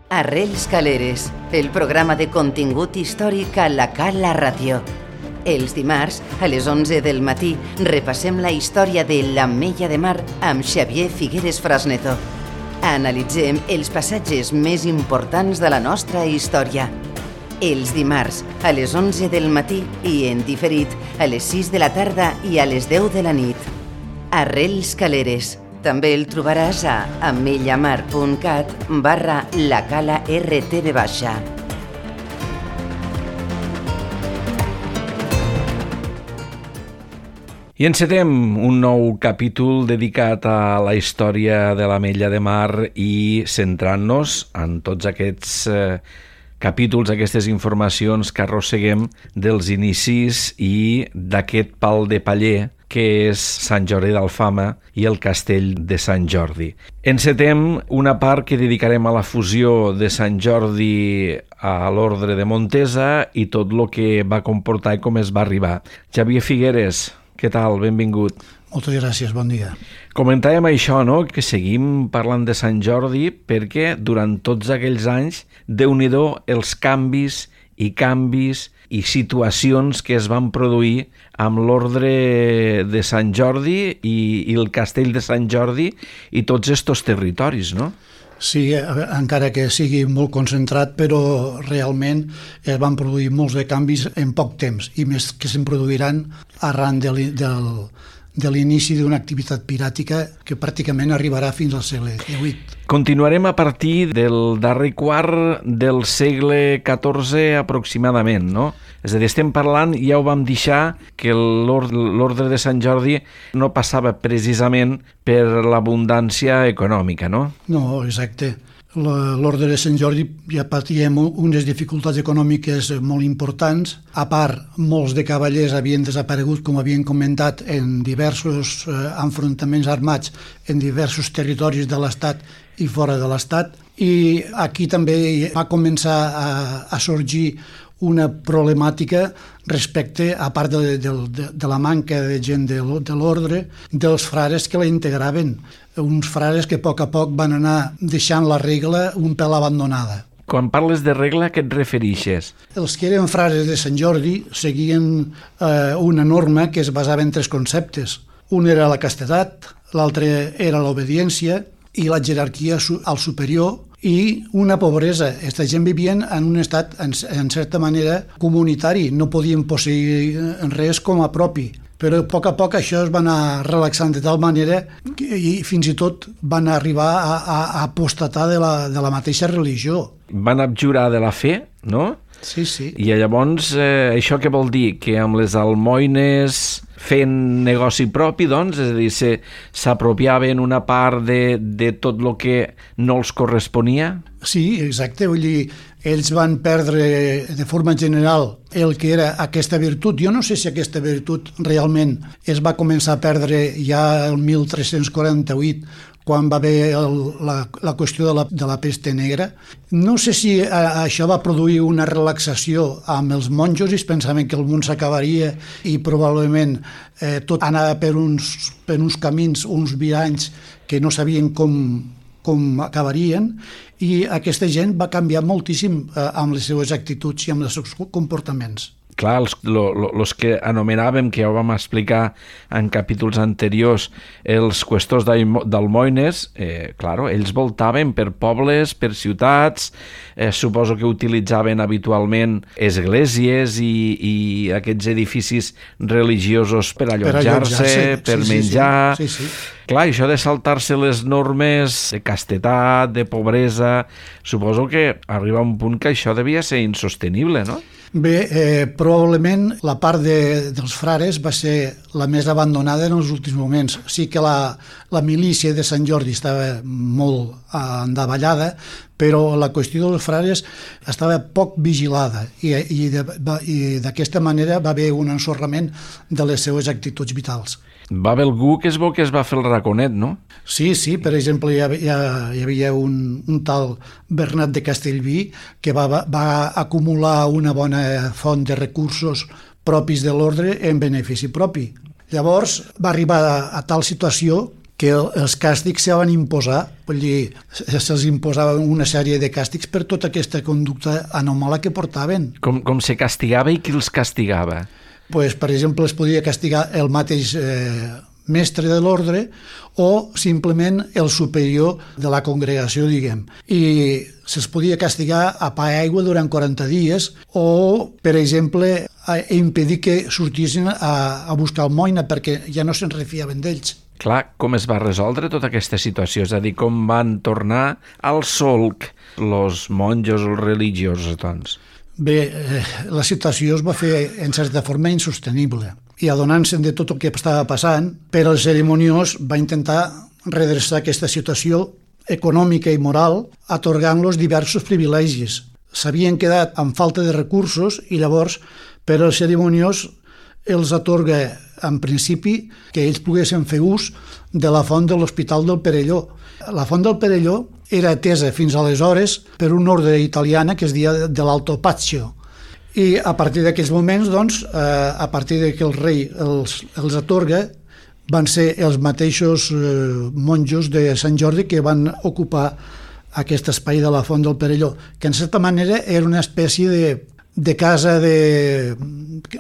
Arrels Caleres, el programa de contingut històric a la Cala Ràdio. Els dimarts, a les 11 del matí, repassem la història de l'Ametlla de Mar amb Xavier Figueres Frasneto. Analitzem els passatges més importants de la nostra història. Els dimarts, a les 11 del matí i en diferit, a les 6 de la tarda i a les 10 de la nit. Arrels Caleres. També el trobaràs a ametllamar.cat/lacala-rtv baixa. I encetem un nou capítol dedicat a la història de l'Ametlla de Mar i centrant-nos en tots aquests capítols, aquestes informacions que arrosseguem dels inicis i d'aquest pal de paller que és Sant Jordi d'Alfama i el castell de Sant Jordi. Encetem una part que dedicarem a la fusió de Sant Jordi a l'Ordre de Montesa i tot el que va comportar i com es va arribar. Xavier Figueres, què tal? Benvingut. Moltes gràcies, bon dia. Comentàvem això, no?, que seguim parlant de Sant Jordi perquè durant tots aquells anys, Déu-n'hi-do els canvis i situacions que es van produir amb l'Ordre de Sant Jordi i el Castell de Sant Jordi i tots estos territoris, no? Sí, encara que sigui molt concentrat, però realment es van produir molts de canvis en poc temps i més que se'n produiran arran de l'inici d'una activitat piràtica que pràcticament arribarà fins al segle XVIII. Continuarem a partir del darrer quart del segle XIV aproximadament, no? És a dir, estem parlant, ja ho vam deixar, que l'Ordre de Sant Jordi no passava precisament per l'abundància econòmica, no? No, exacte. L'Ordre de Sant Jordi ja patíem unes dificultats econòmiques molt importants. A part, molts de cavallers havien desaparegut, com havien comentat, en diversos enfrontaments armats en diversos territoris de l'Estat i fora de l'Estat. I aquí també va començar a sorgir una problemàtica respecte, a part de la manca de gent de l'ordre, dels frares que la integraven. Uns frares que a poc van anar deixant la regla un pèl abandonada. Quan parles de regla, a què et referixes? Els que eren frares de Sant Jordi seguien una norma que es basava en tres conceptes. Un era la castedat, l'altre era l'obediència i la jerarquia al superior i una pobresa. Aquesta gent vivien en un estat, en certa manera, comunitari. No podien posseir res com a propi. Però a poc això es va anar relaxant de tal manera i fins i tot van arribar a apostatar de la mateixa religió. Van abjurar de la fe, no? Sí, sí. I llavors, això què vol dir? Que amb les almoines fent negoci propi, doncs, és a dir, s'apropiaven una part de tot el que no els corresponia? Sí, exacte, vull dir, ells van perdre de forma general el que era aquesta virtut. Jo no sé si aquesta virtut realment es va començar a perdre ja el 1348, quan va haver la qüestió de la pesta negra. No sé si això va produir una relaxació amb els monjos i es pensaven que el món s'acabaria i probablement tot anava per uns camins, uns viranys que no sabien com acabarien, i aquesta gent va canviar moltíssim amb les seves actituds i amb els seus comportaments. Clar, els que anomenàvem, que ja ho vam explicar en capítols anteriors, els qüestors d'almoines, claro, ells voltaven per pobles, per ciutats, suposo que utilitzaven habitualment esglésies i aquests edificis religiosos per allotjar-se, per menjar. Sí. Clar, això de saltar-se les normes de castedat, de pobresa, suposo que arriba un punt que això devia ser insostenible, no? Bé, probablement la part dels frares va ser la més abandonada en els últims moments. Sí que la milícia de Sant Jordi estava molt endavallada, però la qüestió dels frares estava poc vigilada i d'aquesta manera va haver un ensorrament de les seues actituds vitals. Va haver algú que es veu que es va fer el raconet, no? Sí, per exemple, hi havia un tal Bernat de Castellví que va acumular una bona font de recursos propis de l'ordre en benefici propi. Llavors va arribar a tal situació que els càstigs se van imposar, vull dir, se'ls imposava una sèrie de càstigs per tota aquesta conducta anòmala que portaven. Com se castigava i qui els castigava? Pues, per exemple, es podia castigar el mateix mestre de l'ordre o simplement el superior de la congregació, diguem. I se'ls podia castigar a pa i aigua durant 40 dies o, per exemple, impedir que sortissin a buscar almoina perquè ja no se'n refiaven d'ells. Clar, com es va resoldre tota aquesta situació? És a dir, com van tornar al solc els monjos o els religiosos, doncs? Bé, la situació es va fer en certa forma insostenible i adonant-se'n de tot el que estava passant, però el cerimoniós va intentar redreçar aquesta situació econòmica i moral atorgant-los diversos privilegis. S'havien quedat amb falta de recursos i llavors, però el cerimoniós els atorga en principi que ells poguessin fer ús de la font de l'Hospital del Perelló. La font del Perelló era atesa fins aleshores per un ordre italiana que es deia de l'Alto Pazio. I a partir d'aquells moments, doncs, a partir que el rei els atorga, van ser els mateixos monjos de Sant Jordi que van ocupar aquest espai de la font del Perelló, que en certa manera era una espècie de casa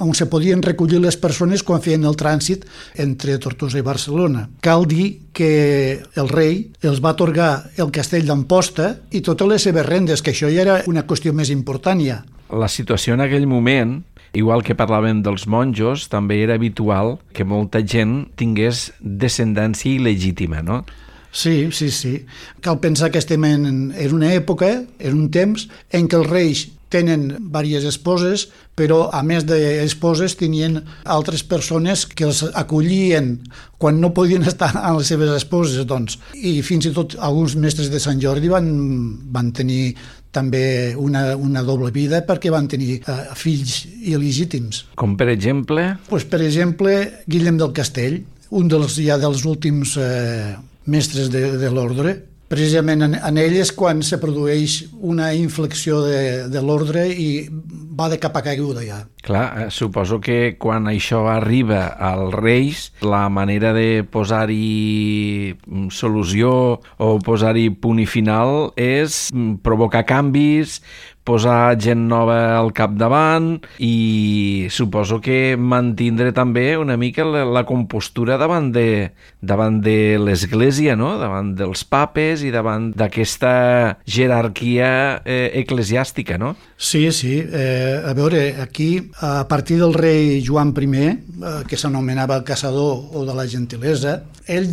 on se podien recollir les persones quan feien el trànsit entre Tortosa i Barcelona. Cal dir que el rei els va atorgar el castell d'Amposta i totes les seves rendes, que això ja era una qüestió més important ja. La situació en aquell moment, igual que parlàvem dels monjos, també era habitual que molta gent tingués descendència il·legítima, no? Sí. Cal pensar que estem en una època, en un temps, en què els reis tenen diverses esposes, però a més d'esposes tenien altres persones que els acollien quan no podien estar amb les seves esposes, doncs. I fins i tot alguns mestres de Sant Jordi van tenir també una doble vida perquè van tenir fills il·legítims. Com per exemple? Pues, per exemple, Guillem del Castell, un dels últims mestres de l'ordre. Precisament en ell és quan se produeix una inflexió de l'ordre i va de capa caiguda ja. Clar, suposo que quan això arriba als reis, la manera de posar-hi solució o posar-hi punt i final és provocar canvis, posar gent nova al capdavant i suposo que mantindre també una mica la compostura davant de l'Església, no? Davant dels papes i davant d'aquesta jerarquia eclesiàstica, no? Sí. A veure, aquí, a partir del rei Joan I, que s'anomenava el caçador o de la gentilesa, ell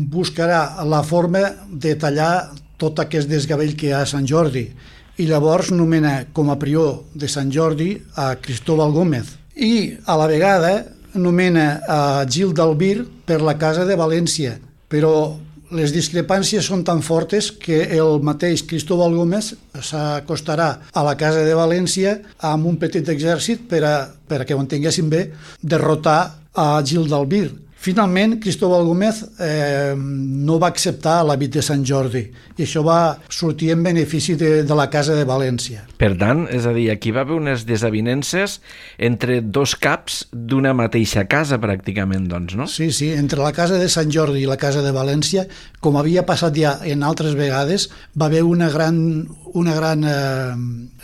buscarà la forma de tallar tot aquest desgavell que hi ha a Sant Jordi i llavors nomena com a prior de Sant Jordi a Cristóbal Gómez i a la vegada nomena a Gil d'Albir per la Casa de València, però les discrepàncies són tan fortes que el mateix Cristóbal Gómez s'acostarà a la Casa de València amb un petit exèrcit per que ho entenguéssim bé, derrotar a Gil d'Albir. Finalment, Cristóbal Gómez no va acceptar l'hàbit de Sant Jordi i això va sortir en benefici de la Casa de València. Per tant, és a dir, aquí va haver unes desavinences entre dos caps d'una mateixa casa, pràcticament, doncs, no? Sí, entre la Casa de Sant Jordi i la Casa de València, com havia passat ja en altres vegades, va haver una gran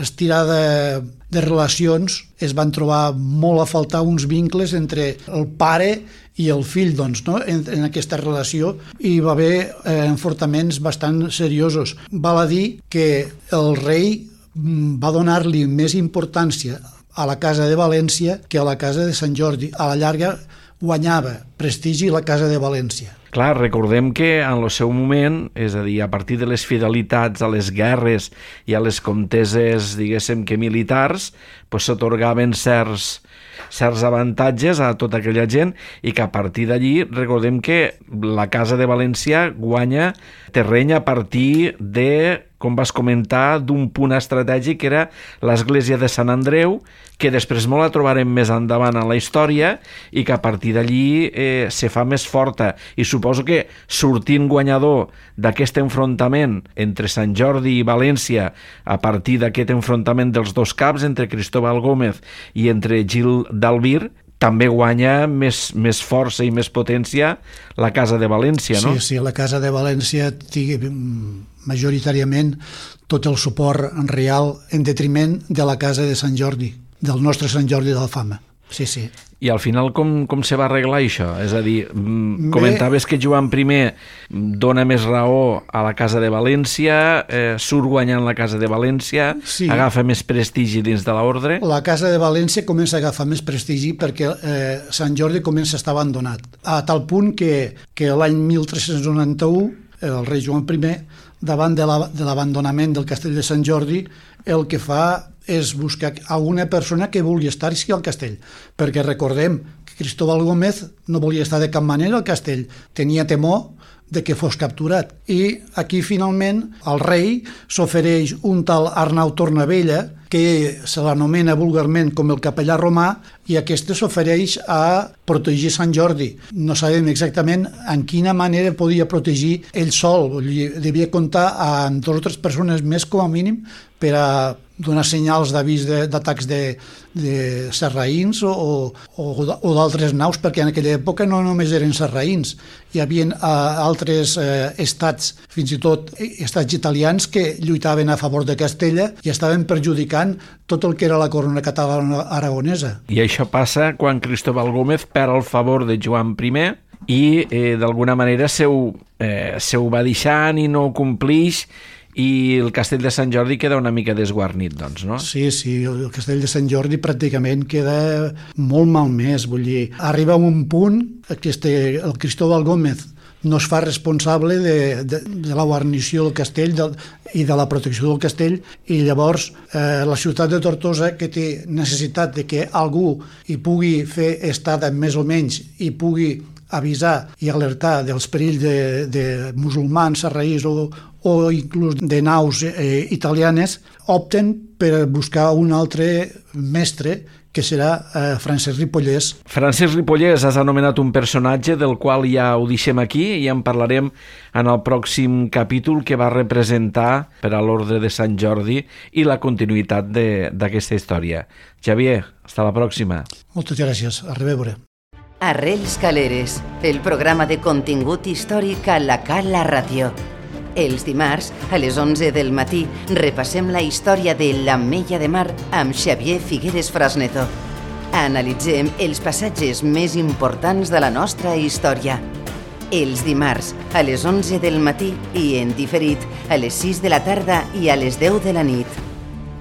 estirada de relacions, es van trobar molt a faltar uns vincles entre el pare i el fill, doncs, no? en aquesta relació, i va haver enfortaments bastant seriosos. Val a dir que el rei va donar-li més importància a la Casa de València que a la Casa de Sant Jordi. A la llarga guanyava prestigi la Casa de València. Clar, recordem que en el seu moment, és a dir, a partir de les fidelitats a les guerres i a les conteses, diguéssim que militars, s'atorgaven certs avantatges a tota aquella gent i que a partir d'allí recordem que la Casa de València guanya terreny a partir de, com vas comentar, d'un punt estratègic que era l'església de Sant Andreu, que després molt la trobarem més endavant en la història i que a partir d'allí se fa més forta. I suposo que sortint guanyador d'aquest enfrontament entre Sant Jordi i València, a partir d'aquest enfrontament dels dos caps, entre Cristóbal Gómez i entre Gil d'Albir, també guanya més força i més potència la Casa de València, no? Sí, la Casa de València té majoritàriament tot el suport real en detriment de la Casa de Sant Jordi, del nostre Sant Jordi d'Alfama. Sí. I al final com se va arreglar això? És a dir, comentaves que Joan I dona més raó a la Casa de València, surt guanyant la Casa de València, sí. Agafa més prestigi dins de l'ordre. La Casa de València comença a agafar més prestigi perquè Sant Jordi comença a estar abandonat, a tal punt que l'any 1391 el rei Joan I, davant de l'abandonament del castell de Sant Jordi, el que fa és buscar alguna persona que vulgui estar-hi al castell, perquè recordem que Cristóbal Gómez no volia estar de cap manera al castell, tenia temor de que fos capturat. I aquí finalment el rei s'ofereix un tal Arnau Tornavella, que se l'anomena vulgarment com el capellà romà, i aquest s'ofereix a protegir Sant Jordi. No sabem exactament en quina manera podia protegir ell sol. Devia comptar amb 2 o 3 persones més com a mínim per a donar senyals d'avís d'atacs de sarraïns o d'altres naus, perquè en aquella època no només eren sarraïns, hi havia altres estats, fins i tot estats italians, que lluitaven a favor de Castella i estaven perjudicant tot el que era la corona catalana aragonesa. I això passa quan Cristóbal Gómez perd el favor de Joan I i d'alguna manera se ho va deixant i no ho complix, i el castell de Sant Jordi queda una mica desguarnit, doncs, no? Sí, el castell de Sant Jordi pràcticament queda molt malmès, vull dir, arriba a un punt que el Cristóbal Gómez no es fa responsable de la guarnició del castell i de la protecció del castell, i llavors la ciutat de Tortosa, que té necessitat de que algú hi pugui fer estada més o menys i pugui avisar i alertar dels perills de musulmans, sarraïns o inclús de naus italianes, opten per buscar un altre mestre, que serà Francesc Ripollès. Francesc Ripollès, has anomenat un personatge del qual ja ho deixem aquí i en parlarem en el pròxim capítol, que va representar per a l'Ordre de Sant Jordi i la continuïtat d'aquesta història. Xavier, hasta la pròxima. Moltes gràcies, a reveure. Arrels Caleres, el programa de contingut històric a la Cala Ràdio. Els dimarts, a les 11 del matí, repassem la història de l'Ametlla de Mar amb Xavier Figueres Frasneto. Analitzem els passatges més importants de la nostra història. Els dimarts, a les 11 del matí i en diferit a les 6 de la tarda i a les 10 de la nit.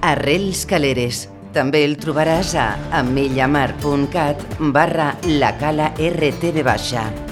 Arrels Caleres. També el trobaràs a ametllamar.cat/lacala-rtv-.